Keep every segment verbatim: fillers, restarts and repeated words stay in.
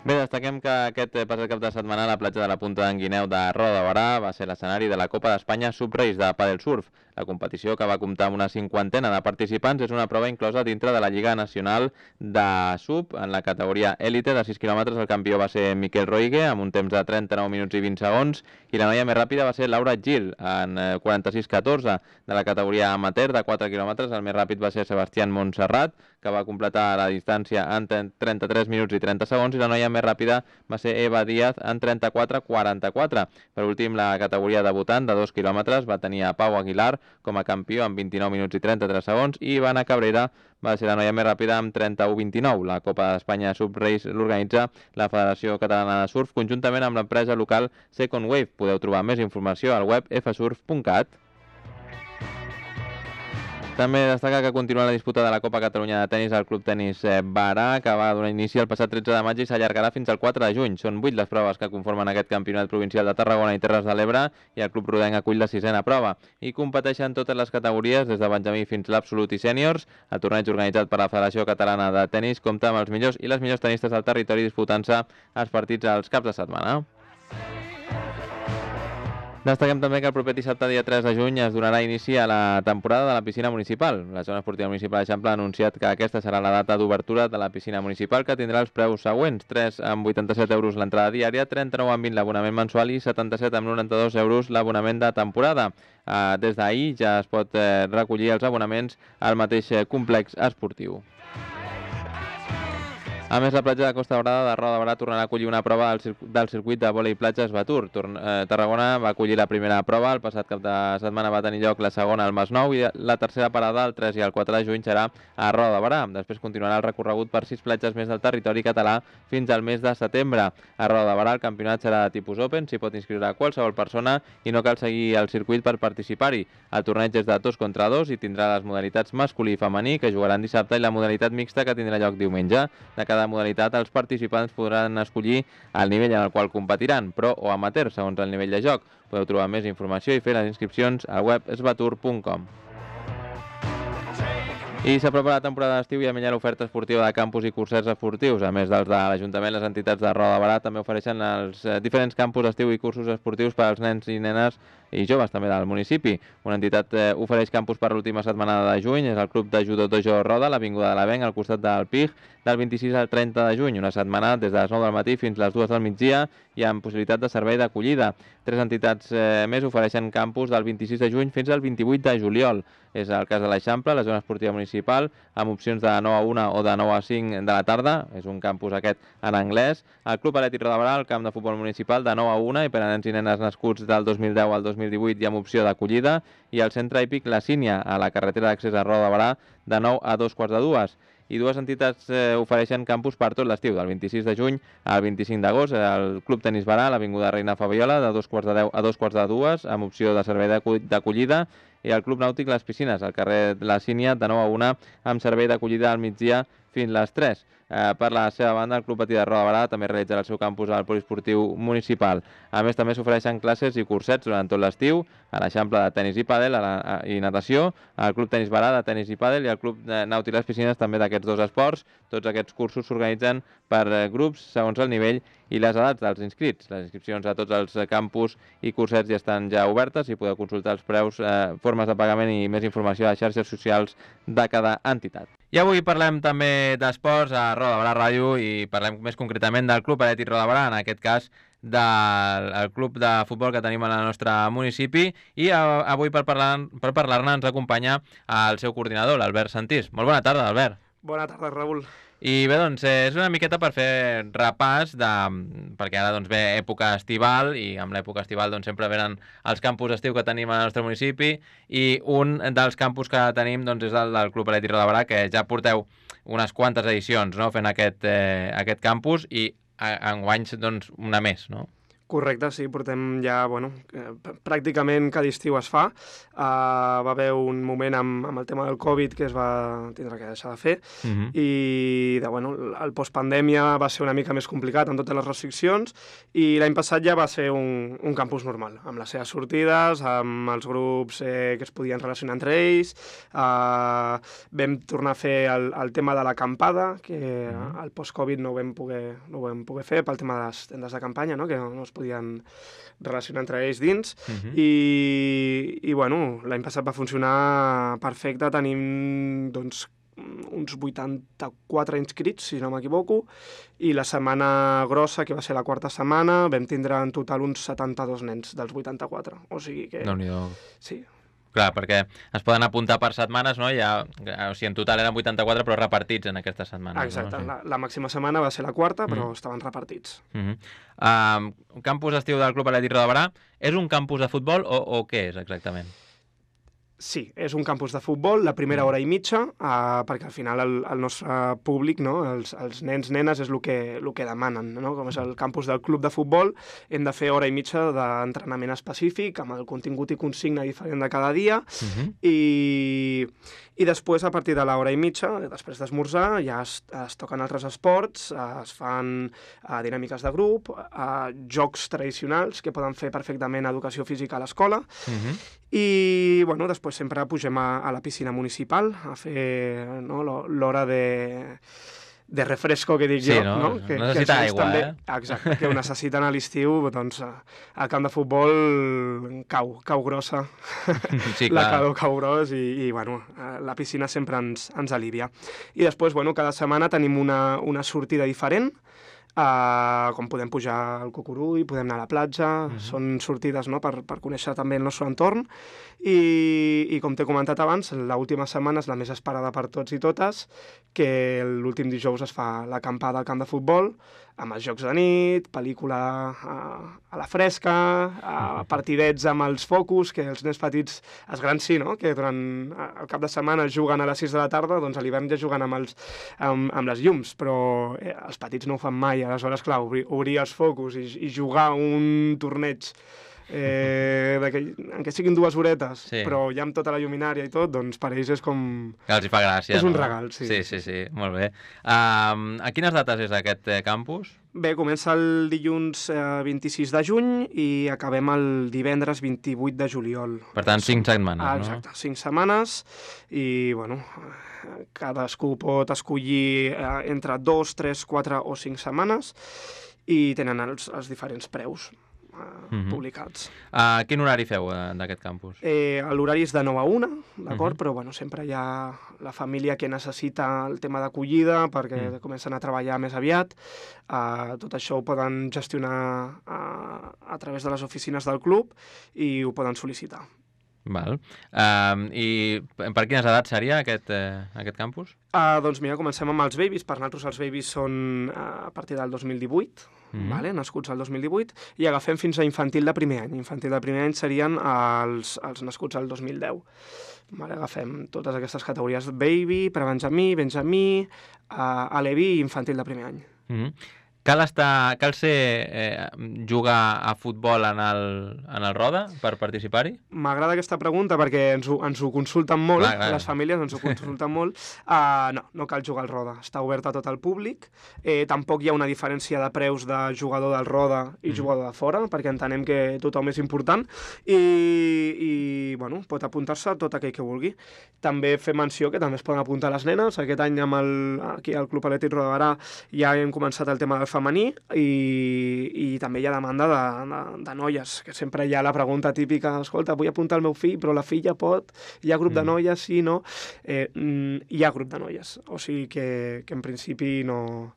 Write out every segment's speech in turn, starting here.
Bé, destaquem que aquest passat cap de setmana la platja de la Punta d'en Guineu de Roda de Barà va ser l'escenari de la Copa d'Espanya Subrace de Padel Surf. La competició, que va comptar amb una cinquantena de participants, és una prova inclosa dintre de la Lliga Nacional de Sub. En la categoria élite de sis quilòmetres el campió va ser Miquel Roigue amb un temps de trenta-nou minuts i vint segons i la noia més ràpida va ser Laura Gil en quaranta-sis catorze. De la categoria amateur de quatre quilòmetres el més ràpid va ser Sebastián Montserrat, que va completar la distància en trenta-tres minuts i trenta segons, i la noia més ràpida va ser Eva Díaz en trenta-quatre quaranta-quatre. Per últim, la categoria debutant de dos quilòmetres va tenir a Pau Aguilar com a campió amb vint-i-nou minuts i trenta-tres segons i Ivana Cabrera va ser la noia més ràpida amb trenta-u vint-i-nou. La Copa d'Espanya Subrace l'organitza la Federació Catalana de Surf conjuntament amb l'empresa local Second Wave. Podeu trobar més informació al web f surf punt cat. També destaca que continua la disputa de la Copa Catalunya de Tenis al Club Tenis Barà, que va donar inici el passat tretze de maig i s'allargarà fins al quatre de juny. Són vuit les proves que conformen aquest campionat provincial de Tarragona i Terres de l'Ebre i el Club Rodenc acull la sisena prova. I competeixen totes les categories, des de benjamí fins l'absolut i sèniors. El torneig organitzat per la Federació Catalana de Tenis compta amb els millors i les millors tenistes del territori disputant-se els partits als caps de setmana. Destaquem també que el proper dissabte, dia tres de juny, es donarà inici a la temporada de la piscina municipal. La zona esportiva municipal d'Eixample ha anunciat que aquesta serà la data d'obertura de la piscina municipal, que tindrà els preus següents: tres amb vuitanta-set euros l'entrada diària, trenta-nou amb vint l'abonament mensual i setanta-set amb noranta-dos euros l'abonament de temporada. Des d'ahir ja es pot recollir els abonaments al mateix complex esportiu. A més, la platja de Costa Daurada de Roda de Barà tornarà a acollir una prova del circuit de vòlei platges Batur. Tarragona va acollir la primera prova, el passat cap de setmana va tenir lloc la segona al Masnou i la tercera parada el tres i el quatre de juny serà a Roda de Barà. Després continuarà el recorregut per sis platges més del territori català fins al mes de setembre. A Roda de Barà el campionat serà de tipus open, s'hi pot inscriure qualsevol persona i no cal seguir el circuit per participar-hi. El torneig és de dos contra dos i tindrà les modalitats masculí i femení, que jugaran dissabte, i la modalitat mixta, que tindrà lloc diumenge. De cada modalitat, els participants podran escollir el nivell en el qual competiran, pro o amateur, segons el nivell de joc. Podeu trobar més informació i fer les inscripcions al web sbatur punt com. I s'apropa la temporada d'estiu i a millor l'oferta esportiva de campus i cursets esportius. A més dels de l'Ajuntament, les entitats de Roda de Barà també ofereixen els diferents campus d'estiu i cursos esportius per als nens i nenes i joves també del municipi. Una entitat eh, ofereix campus per l'última setmanada de juny, és el Club de Judo Dojo Roda, a l'Avinguda de l'Avenc, al costat del P I G, del vint-i-sis al trenta de juny, una setmana des de les nou del matí fins les dues del migdia i amb possibilitat de servei d'acollida. Tres entitats eh, més ofereixen campus del vint-i-sis de juny fins al vint-i-vuit de juliol. És el cas de l'Eixample, la zona esportiva municipal, amb opcions de nou a una o de nou a cinc de la tarda. És un campus aquest en anglès. El Club Atlètic Roda de Barà, el camp de futbol municipal, de nou a una i per a nens i nenes nascuts del dos mil deu al dos mil divuit i amb opció d'acollida. I el centre hípic La Sínia, a la carretera d'accés a Roda de Barà, de nou a dos quarts de dues. I dues entitats eh, ofereixen campus per tot l'estiu, del vint-i-sis de juny al vint-i-cinc d'agost. El Club Tenis Barà, a l'Avinguda Reina Fabiola, de dos quarts de deu a dos quarts de dues, amb opció de servei d'acollida. I el Club Nàutic Les Piscines, al carrer La Sínia, de nou a una, amb servei d'acollida al migdia fins les tres. Eh, per la seva banda, el Club Patí de Roda de Barà també realitzarà el seu campus al poliesportiu municipal. A més, també s'ofereixen classes i cursets durant tot l'estiu a l'Eixample de tenis i pàdel a la, a, i natació, al Club Tenis Barà de tenis i pàdel i al Club Nàutic Les Piscines també d'aquests dos esports. Tots aquests cursos s'organitzen per eh, grups segons el nivell i les edats dels inscrits. Les inscripcions a tots els campus i cursets ja estan ja obertes i podeu consultar els preus, eh, formes de pagament i més informació a les xarxes socials de cada entitat. I avui parlem també d'esports a Roda de Barà Ràdio i parlem més concretament del Club Atlètic Roda de Barà, en aquest cas del club de futbol que tenim al nostre municipi, i avui per parlar-ne per parlar ens acompanya el seu coordinador, l'Albert Santís. Molt bona tarda, Albert. Bona tarda, Raül. I bé, doncs, és una miqueta per fer repàs, de, perquè ara doncs, ve època estival, i amb l'època estival doncs, sempre venen els campus d'estiu que tenim al nostre municipi, i un dels campus que tenim doncs, és el del Club Atlètic Roda de Barà, que ja porteu unes quantes edicions, no?, fent aquest, eh, aquest campus, i enguany doncs, una més, no? Correcte, sí, portem ja, bueno, eh, pràcticament cada estiu es fa. Uh, va haver un moment amb, amb el tema del Covid que es va tindre que deixar de fer Mhm. i de, bueno, el postpandèmia va ser una mica més complicat amb totes les restriccions i l'any passat ja va ser un, un campus normal, amb les seves sortides, amb els grups eh, que es podien relacionar entre ells. Uh, vam tornar a fer el, el tema de l'acampada, que Mhm. al post-Covid no ho vam poder, no ho vam poder fer pel tema de les tendes de campanya, no? Que no, no es podien relacionar entre ells dins, Mhm. i, i bueno, l'any passat va funcionar perfecte, tenim doncs uns vuitanta-quatre inscrits, si no m'equivoco, i la setmana grossa, que va ser la quarta setmana, vam tindre en total uns setanta-dos nens dels vuitanta-quatre, o sigui que... Déu-n'hi-do. Sí. Clar, perquè es poden apuntar per setmanes, no? Ja, o sigui, en total eren vuitanta-quatre, però repartits en aquestes setmanes. Exacte, no? Sí. la, la màxima setmana va ser la quarta, però Mm. estaven repartits. Uh -huh. uh, campus d'estiu del Club Atlètic Roda de Berà, és un campus de futbol o, o què és exactament? Sí, és un campus de futbol, la primera hora i mitja, uh, perquè al final el, el nostre públic, no, els, els nens, nenes, és el que, el que demanen, no? Com és el campus del club de futbol, hem de fer hora i mitja d'entrenament específic, amb el contingut i consigna diferent de cada dia, Uh -huh. i, i després, a partir de l'hora i mitja, després d'esmorzar, ja es, es toquen altres esports, es fan uh, dinàmiques de grup, uh, jocs tradicionals que poden fer perfectament educació física a l'escola, Uh -huh. i bueno, després sempre pugem a, a la piscina municipal a fer, no, lo- l'hora de, de refresco que dic Sí, jo, no? no? Que, Necessita que els nens aigua, també, eh? Exacte, que ho necessiten a l'estiu, doncs al camp de futbol cau, cau grossa, Sí, la clar. calor cau gros i, i bueno, eh, la piscina sempre ens, ens alivia. I després, bueno, cada setmana tenim una, una sortida diferent, Uh, com podem pujar al Cucurull, podem anar a la platja, Mhm. són sortides, no?, per, per conèixer també el nostre entorn, i, i com t'he comentat abans, l'última setmana és la més esperada per tots i totes, que l'últim dijous es fa l'acampada al camp de futbol, amb els jocs de nit, pel·lícula a, a la fresca, a partidets amb els focus, que els nens petits, els grans sí, no?, que durant el cap de setmana juguen a les sis de la tarda, doncs a l'hivern ja juguen amb, els, amb, amb les llums, però eh, els petits no ho fan mai. Aleshores, clar, obrir, obrir els focus i, i jugar un torneig eh, d'aquell- en què siguin dues horetes, Sí. però ja amb tota la lluminària i tot, doncs per ells és com... Que els hi fa gràcia, És un no? regal, sí. Sí, sí, sí, molt bé. Um, a quines dates és aquest eh, campus? Bé, comença el dilluns eh, vint-i-sis de juny i acabem el divendres vint-i-vuit de juliol. Per tant, cinc setmanes, Ah, no? exacte, cinc setmanes i, bueno, eh, cadascú pot escollir eh, entre dos, tres, quatre o cinc setmanes i tenen els, els diferents preus eh, Mhm. publicats. Uh, quin horari feu eh, d'aquest campus? Eh, L'horari és de nou a una, d'acord? Mhm. Però bueno, sempre hi ha la família que necessita el tema d'acollida perquè Mm. comencen a treballar més aviat. Uh, tot això ho poden gestionar uh, a través de les oficines del club i ho poden sol·licitar. Val. Um, I per quines edats seria aquest, eh, aquest campus? Uh, doncs mira, comencem amb els babies. Per nosaltres els babies són uh, a partir del dos mil divuit, Mhm. vale? Nascuts al dos mil divuit, i agafem fins a infantil de primer any. Infantil de primer any serien els, els nascuts al dos mil deu. Vale? Agafem totes aquestes categories: baby, prebenjamí, benjamí, uh, aleví i infantil de primer any. Mhm. Cal, estar, cal ser eh, jugar a futbol en el, en el Roda per participar-hi? M'agrada aquesta pregunta perquè ens ho, ens ho consulten molt, Clar, clar. les famílies ens ho consulten molt. Uh, no, no cal jugar al Roda, està obert a tot el públic. Eh, tampoc hi ha una diferència de preus de jugador del Roda i Mhm. jugador de fora, perquè entenem que tothom és important, i, i bueno, pot apuntar-se tot aquell que vulgui. També fer menció que també es poden apuntar les nenes. Aquest any amb el, aquí al Club Atlètic Roda de Berà ja hem començat el tema del femení i, i també hi ha demanda de, de, de noies, que sempre hi ha la pregunta típica: escolta, vull apuntar el meu fill, però la filla pot, hi ha grup de Mm. noies, sí, no? Eh, mm, hi ha grup de noies, o sigui que, que en principi no,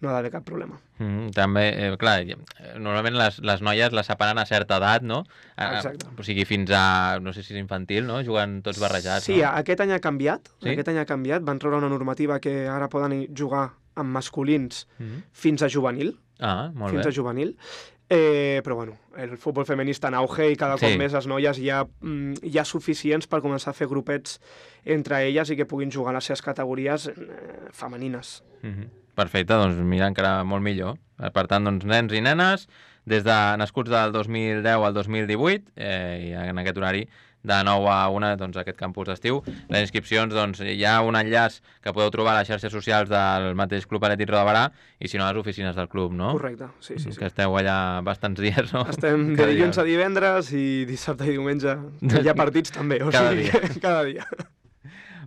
no ha d'haver cap problema. Mm, també, eh, clar, eh, normalment les, les noies les separen a certa edat, no? A- Exacte. O sigui, fins a, no sé si és infantil, no? Juguen tots barrejats, Sí, no? aquest any ha canviat, Sí? aquest any ha canviat, van treure una normativa que ara poden jugar amb masculins Mhm. fins a juvenil, Ah, molt fins bé. a juvenil, eh, però bueno, el futbol femení està en auge i cada Sí. cop més les noies hi ha, mm, hi ha suficients per començar a fer grupets entre elles i que puguin jugar a les seves categories eh, femenines. Mhm. Perfecte, doncs mira, encara molt millor. Per tant, doncs, nens i nenes, des de nascuts del dos mil deu al dos mil divuit, eh, i en aquest horari de nou a una, doncs, aquest campus d'estiu. Les inscripcions, doncs, hi ha un enllaç que podeu trobar a les xarxes socials del mateix Club Atlètic Roda de Barà i, si no, a les oficines del club, no? Correcte, sí, sí. sí. Que esteu allà bastants dies, no? Estem de dilluns a divendres i dissabte i diumenge. Hi ha partits també, o cada sigui, dia. cada dia.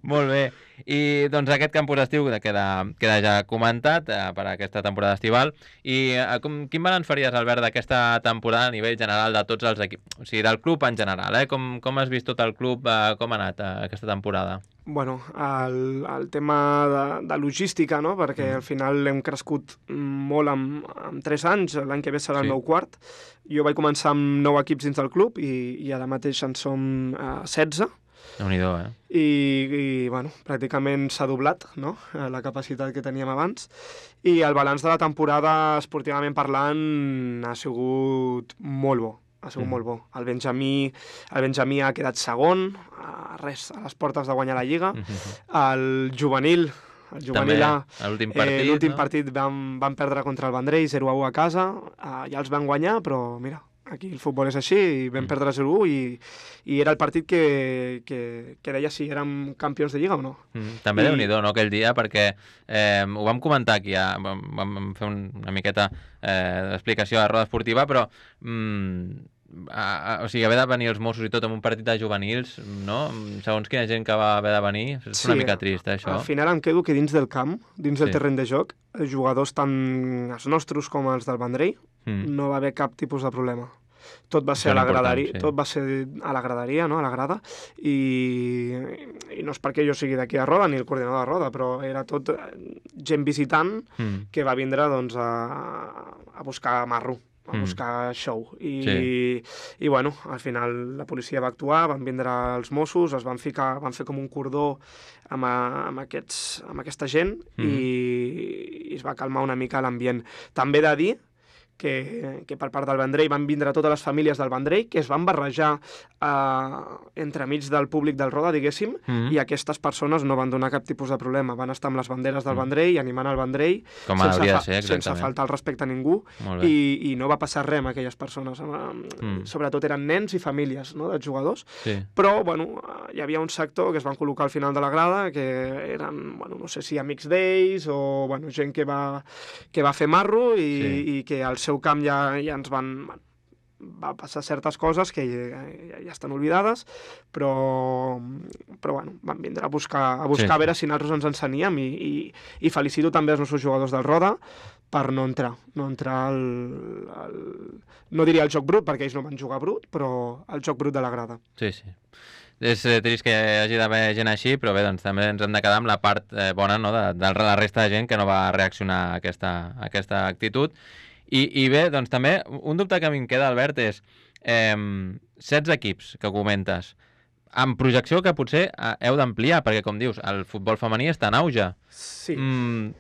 Molt bé. I doncs aquest campus d'estiu queda, queda ja comentat eh, per aquesta temporada estival. I eh, com, quin balanç faries, Albert, d'aquesta temporada a nivell general de tots els equips? O sigui, del club en general, eh? Com, com has vist tot el club, eh, com ha anat eh, aquesta temporada? Bueno, el, el tema de, de logística, no? Perquè mm. al final hem crescut molt amb, amb tres anys, l'any que ve serà sí. el meu quart. Jo vaig començar amb nou equips dins del club i, i ara mateix en som eh, setze. Déu-n'hi-do, eh? I, i bueno, pràcticament s'ha doblat, no?, la capacitat que teníem abans. I el balanç de la temporada, esportivament parlant, ha sigut molt bo. Ha sigut mm. molt bo. El Benjamí, el Benjamí ha quedat segon, a res, a les portes de guanyar la Lliga. Mm-hmm. El juvenil, el juvenil A, l'últim partit, eh, l'últim no? partit van, van perdre contra el Vendrell zero a u a casa, eh, ja els van guanyar, però mira, aquí el futbol és així, i vam mm. perdre zero a u i, i era el partit que, que, que deia si érem campions de Lliga o no. Mm. També I... Déu-n'hi-do, no?, aquell dia, perquè eh, ho vam comentar aquí, ja, vam, vam fer un, una miqueta eh, d'explicació a Roda Esportiva, però mm, a, a, o sigui, haver de venir els Mossos i tot en un partit de juvenils, no?, segons quina gent que va haver de venir, és sí, una mica trist, eh, això. Al final em quedo que dins del camp, dins del sí. terreny de joc, els jugadors tant els nostres com els del Vendrell, mm. no va haver cap tipus de problema. Tot va ser a la graderia, sí. tot va ser a la graderia, no?, a la grada, i, i no és perquè jo sigui d'aquí a Roda, ni el coordinador de Roda, però era tot gent visitant mm. que va vindre, doncs, a, a buscar marro, a mm. buscar show. I, sí. i, i, bueno, al final la policia va actuar, van vindre els Mossos, es van ficar, van fer com un cordó amb, a, amb, aquests, amb aquesta gent mm. i, i es va calmar una mica l'ambient. També he de dir que, que per part del Vendrell van vindre totes les famílies del Vendrell, que es van barrejar eh, entremig del públic del Roda, diguéssim, mm-hmm. i aquestes persones no van donar cap tipus de problema. Van estar amb les banderes del mm. Vendrell, animant el Vendrell, com sense, hauria fa, de ser, sense faltar el respecte a ningú, i, i no va passar res amb aquelles persones. Mm. Sobretot eren nens i famílies, no?, dels jugadors. Sí. Però, bueno, hi havia un sector que es van col·locar al final de la grada, que eren, bueno, no sé si amics d'ells o, bueno, gent que va, que va fer marro i, sí. i que al seu camp ja, ja ens van... va passar certes coses que ja, ja, ja estan oblidades, però, però bueno, van vindre a buscar, a buscar sí. a veure si nosaltres ens ensenyem i, i, i felicito també els nostres jugadors del Roda per no entrar, no entrar al, al... no diria el joc brut, perquè ells no van jugar brut, però el joc brut de la grada. Sí, sí. És trist que hi hagi d'haver gent així, però bé, doncs també ens hem de quedar amb la part eh, bona, no?, de, de la resta de gent que no va reaccionar a aquesta, a aquesta actitud. I, I bé, doncs també, un dubte que a mi em queda, Albert, és eh, setze equips que comentes, amb projecció que potser heu d'ampliar, perquè, com dius, el futbol femení està en auge. Sí. Mm,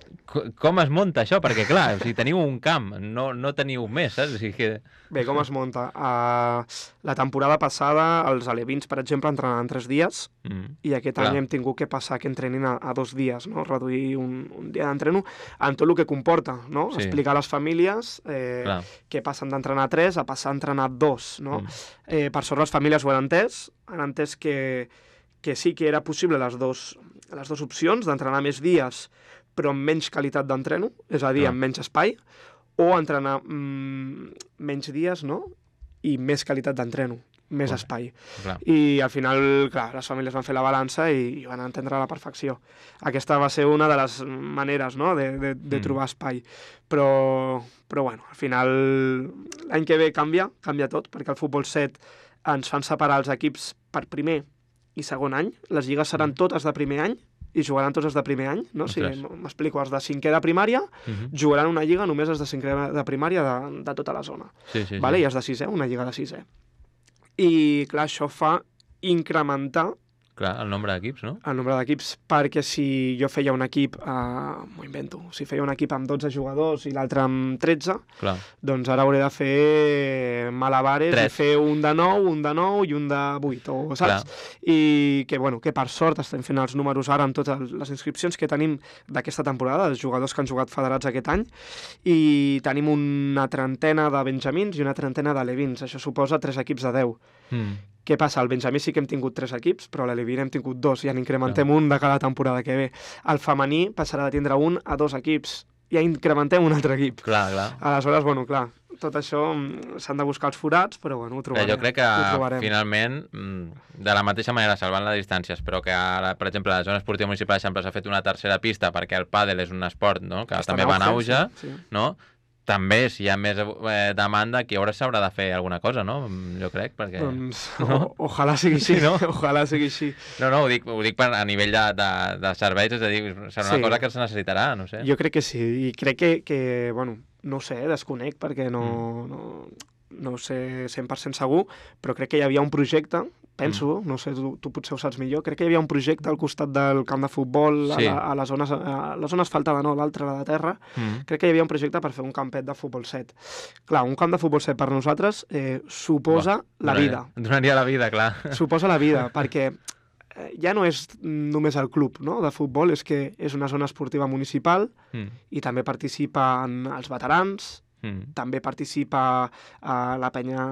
com es munta això? Perquè, clar, o sigui, teniu un camp, no, no teniu més, saps? O sigui que... Bé, com es munta? Uh, la temporada passada, els alevins, per exemple, entrenaven tres dies, mm, i aquest clar. any hem tingut que passar que entrenin a, a dos dies, no?, reduir un, un dia d'entreno, amb tot el que comporta, no? Sí. Explicar a les famílies eh, que passen d'entrenar a tres a passar a entrenar a dos, no? Mm. Eh, per sort les famílies ho han entès, han entès que, que sí que era possible les dos, les dues opcions, d'entrenar més dies però amb menys qualitat d'entreno, és a dir, ah. amb menys espai, o entrenar mm, menys dies, no?, i més qualitat d'entreno, més clar. espai. Clar. I al final, clar, les famílies van fer la balança i, i van entendre a la perfecció. Aquesta va ser una de les maneres, no?, de, de, de mm. trobar espai. Però, però bueno, al final l'any que ve canvia, canvia tot, perquè el futbol set ens fan separar els equips per primer i segon any. Les lligues seran totes de primer any i jugaran tots els de primer any, no? Si m'explico, els de cinquè de primària uh-huh. jugaran una lliga només els de cinquè de primària de, de tota la zona. Sí, sí, vale? sí. I els de sisè, una lliga de sisè. I, clar, això fa incrementar Clar, el nombre d'equips, no? El nombre d'equips, perquè si jo feia un equip, eh, m'ho invento, si feia un equip amb dotze jugadors i l'altre amb tretze, Clar. doncs ara hauré de fer malabares Tres. i fer un de nou, un de nou i un de vuit, o, saps? Clar. I que, bueno, que per sort estem fent els números ara amb totes les inscripcions que tenim d'aquesta temporada, els jugadors que han jugat federats aquest any, i tenim una trentena de benjamins i una trentena de levins. Això suposa tres equips de deu. Mm. Què passa? Al benjamí sí que hem tingut tres equips, però a l'Aleví n'hem tingut dos, i en incrementem un de cada temporada que ve. El femení passarà de tindre un a dos equips, i ja incrementem un altre equip. Clar, clar. Aleshores, bueno, clar, tot això s'han de buscar els forats, però bueno, ho trobarem. Jo crec que finalment, de la mateixa manera, salvant les distàncies, però que ara, per exemple, a la zona esportiva municipal s'ha fet una tercera pista perquè el pàdel és un esport, no?, que Està també va en auge, sí, sí. no?, també, si hi ha més eh, demanda, aquí ara s'haurà de fer alguna cosa, no? Jo crec, perquè... Doncs no? o, ojalà sigui així, Sí, no? Ojalà sigui així. No, no, ho dic, ho dic per, a nivell de, de, de serveis, és a dir, serà una Sí. cosa que es necessitarà, no sé. Jo crec que sí, i crec que, que bueno, no ho sé, desconec, perquè no, Mm. no, no ho sé cent per cent segur, però crec que hi havia un projecte, penso, mm. no sé, tu, tu potser ho saps millor, crec que hi havia un projecte al costat del camp de futbol, Sí. a, la, a, la zona, a la zona asfaltada, no, l'altra, la de terra, Mm. crec que hi havia un projecte per fer un campet de futbol set. Clar, un camp de futbol set per nosaltres eh, suposa Buah, la donaria- vida. Donaria la vida, clar. Suposa la vida, perquè eh, ja no és només el club, no?, de futbol, és que és una zona esportiva municipal Mm. i també participen els veterans, Mm. també participa a la penya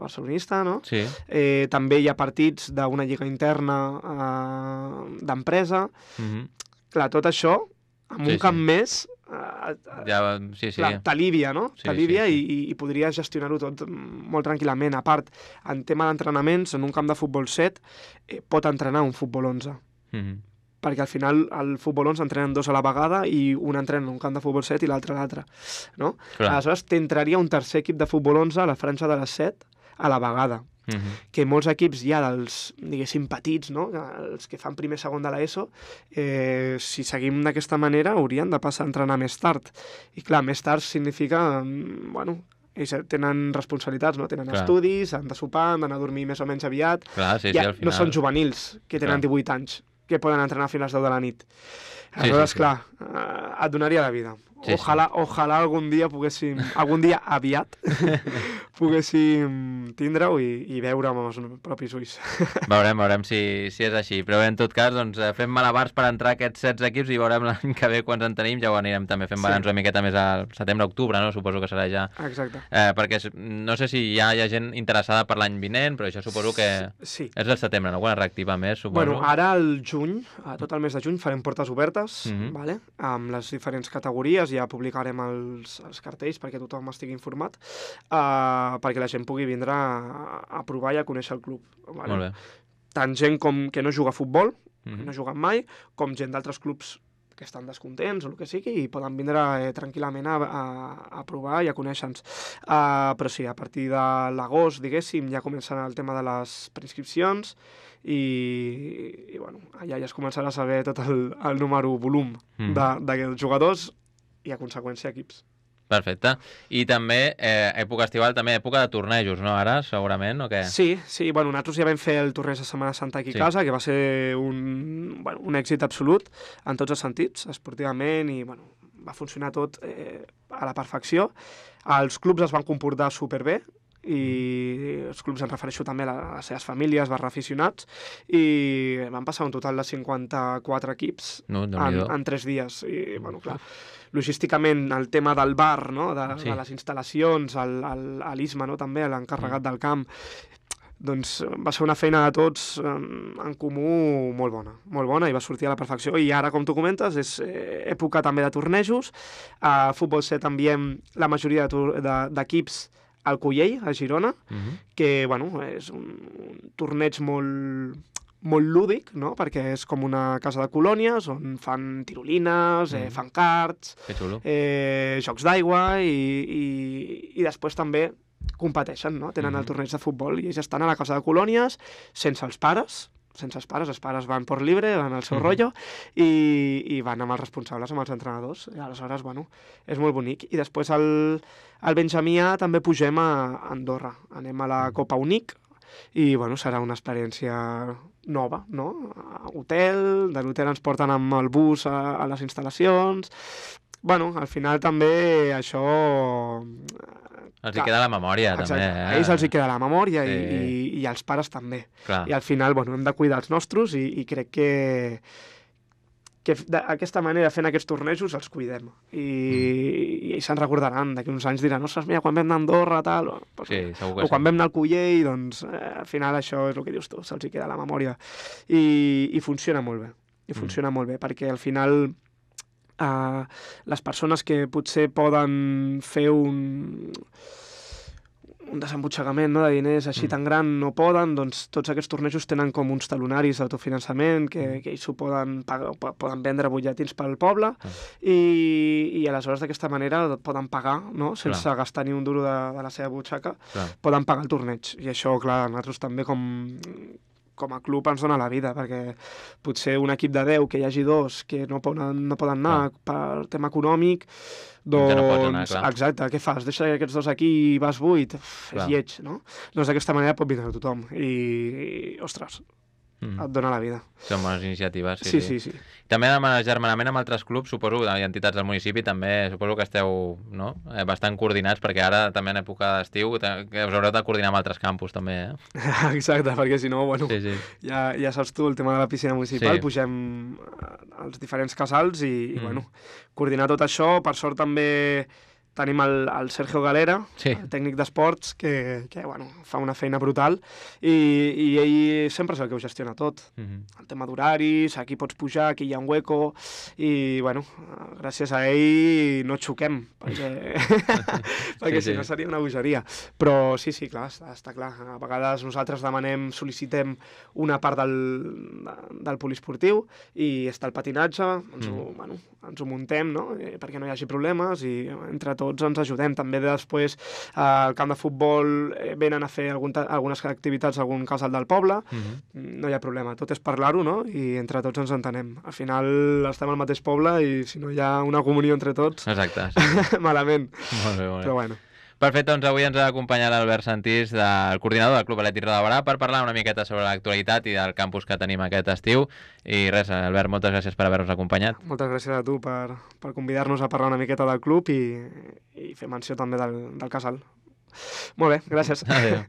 barcelonista, no? Sí. Eh, també hi ha partits d'una lliga interna eh, d'empresa. Mm-hmm. Clar, tot això, amb Sí, un camp sí. més, eh, Ja, sí, sí. clar, t'alivia, no? Sí, T'alivia sí, sí. i, i, i podries gestionar-ho tot molt tranquil·lament. A part, en tema d'entrenaments, en un camp de futbol set, eh, pot entrenar un futbol onze. Mm-hmm. Perquè al final el futbol onze entrenen dos a la vegada i un entrena en un camp de futbol set i l'altre a l'altre, no? Clar. Aleshores, t'entraria un tercer equip de futbol onze a la franja de les set a la vegada, Mm-hmm. que molts equips ja dels, diguéssim, petits, no?, els que fan primer segon de l'ESO, eh, si seguim d'aquesta manera haurien de passar a entrenar més tard. I clar, més tard significa, mm, bueno, ells tenen responsabilitats, no? Tenen Clar. estudis, han de sopar, han d'anar a dormir més o menys aviat. Clar, sí, sí, Ja al final... no són juvenils, que tenen Clar. divuit anys, que poden entrenar fins a les deu de la nit. Aleshores, sí, sí. clar, eh, et donaria la vida. Sí, ojalà, ojalà algun dia poguéssim, algun dia aviat, poguéssim tindre-ho i, i veure amb els propis ulls. Veurem, veurem si, si és així. Però bé, en tot cas, doncs, eh, fem malabars per entrar a aquests setze equips i veurem l'any que ve quants en tenim. Ja ho anirem també fent Sí. balanç una miqueta més al setembre-octubre, no? Suposo que serà ja... Exacte. Eh, perquè es- no sé si ja hi ha gent interessada per l'any vinent, però això suposo que Sí. és el setembre, no? Quan es reactiva més, suposo. Bueno, ara al juny, a tot el mes de juny, farem portes obertes, Mhm. vale? Amb les diferents categories, ja publicarem els, els cartells perquè tothom estigui informat, uh, perquè la gent pugui vindre a, a provar i a conèixer el club. Vale? Molt bé. Tant gent com que no juga a futbol, Mhm. que no juguen mai, com gent d'altres clubs que estan descontents o el que sigui i poden vindre eh, tranquil·lament a, a, a provar i a conèixer-nos. Uh, però sí, a partir de l'agost, diguéssim, ja comencen el tema de les preinscripcions i, i bueno, allà ja es començarà a saber tot el, el número, volum Mhm. de, de jugadors i a conseqüència equips. Perfecte. I també, eh, època estival, també època de tornejos, no? Ara, segurament, o què? Sí, sí, bueno, nosaltres ja vam fer el torneig de Setmana Santa aquí a Sí. casa, que va ser un, bueno, un èxit absolut en tots els sentits, esportivament, i bueno, va funcionar tot eh, a la perfecció. Els clubs es van comportar superbé, i els clubs, em refereixo també a les seves famílies, barra aficionats, i van passar un total de cinquanta-quatre equips No, en, Déu-n'hi-do. en tres dies. I, bueno, clar, logísticament, el tema del bar, no? de, Sí. de les instal·lacions, el- el- a l'Isma, no? també, l'encarregat Mm. del camp, doncs va ser una feina de tots en, en comú molt bona, molt bona, i va sortir a la perfecció. I ara, com tu comentes, és eh, època també de tornejos. A Futbol set enviem la majoria de tor- de- d'equips al Collell, a Girona, Mhm. que bueno, és un, un torneig molt, molt lúdic, no? Perquè és com una casa de colònies on fan tirolines, eh, Mm. fan karts, Que xulo. eh, jocs d'aigua i, i, i després també competeixen, no? Tenen Mhm. el torneig de futbol i ells estan a la casa de colònies sense els pares, sense els pares, els pares van por libre, van al seu Mhm. rotllo i, i van amb els responsables, amb els entrenadors. I aleshores, bueno, és molt bonic. I després al, al Benjamí A també pugem a Andorra. Anem a la Copa Unic i, bueno, serà una experiència nova, no? A hotel, de l'hotel ens porten amb el bus a, a les instal·lacions. Bueno, al final també això... Els hi queda la memòria, Exacte. també. Eh? A ells els hi queda la memòria sí. i, i, i als pares també. Clar. I al final, bueno, hem de cuidar els nostres i, i crec que que d'aquesta manera, fent aquests tornejos, els cuidem. I, mm. i ells se'n recordaran, d'aquí uns anys diran, ostres, mira, quan vam anar a Andorra, tal... O, sí, segur que o quan sí. vam anar al Cullell, doncs, eh, al final això és el que dius tu, se'ls hi queda la memòria. I, i funciona molt bé, i funciona mm. molt bé, perquè al final eh, les persones que potser poden fer un... un desembutxegament, no, de diners així mm. tan gran no poden, doncs tots aquests tornejos tenen com uns talonaris d'autofinançament que, mm. que ells ho poden, pagar, poden vendre butlletins pel poble mm. i, i aleshores d'aquesta manera poden pagar, no? Sense clar. gastar ni un duro de, de la seva butxaca, clar. poden pagar el torneig. I això, clar, nosaltres també com com a club ens dona la vida, perquè potser un equip de deu que hi hagi dos que no poden, no poden anar clar. per tema econòmic, doncs... Ja no pots anar, clar. Exacte, què fas? Deixa aquests dos aquí i vas vuit? Uf, és lleig, no? Doncs d'aquesta manera pot vindre tothom. I, i ostres, mm. et dona la vida. Són bones iniciatives, sí. Sí, sí, sí. sí. També amb agermanament amb altres clubs, suposo, i entitats del municipi, també suposo que esteu no? bastant coordinats, perquè ara també en època d'estiu que us haureu de coordinar amb altres campus, també, eh? Exacte, perquè si no, bueno, sí, sí. Ja, ja saps tu, el tema de la piscina municipal, sí. pugem als diferents casals i, mm. i, bueno, coordinar tot això. Per sort també tenim el, el Sergio Galera, sí. el tècnic d'esports, que, que bueno, fa una feina brutal i, i ell sempre és el que ho gestiona tot. Mm-hmm. El tema d'horaris, aquí pots pujar, aquí hi ha un hueco i, bueno, gràcies a ell no xoquem, perquè, perquè sí, si sí. no seria una bogeria. Però sí, sí, clar, està, està clar. A vegades nosaltres demanem, sol·licitem una part del, del poliesportiu i està el patinatge, ens, mm. ho, bueno, ens ho muntem, no? perquè no hi hagi problemes i entre tots ens ajudem. També després eh, al camp de futbol eh, venen a fer algun algunes activitats a algun casal del poble, mm-hmm. no hi ha problema, tot és parlar-ho, no? I entre tots ens entenem. Al final estem al mateix poble i si no hi ha una comunió entre tots, exacte, sí. malament. Molt bé, molt bé. Però bueno. Perfecte, doncs avui ens ha acompanyat l'Albert Santís, del coordinador del Club Atlètic Roda de Barà, per parlar una miqueta sobre l'actualitat i del campus que tenim aquest estiu. I res, Albert, moltes gràcies per haver-nos acompanyat. Moltes gràcies a tu per, per convidar-nos a parlar una miqueta del club i, i fer menció també del, del casal. Molt bé, gràcies. Adéu.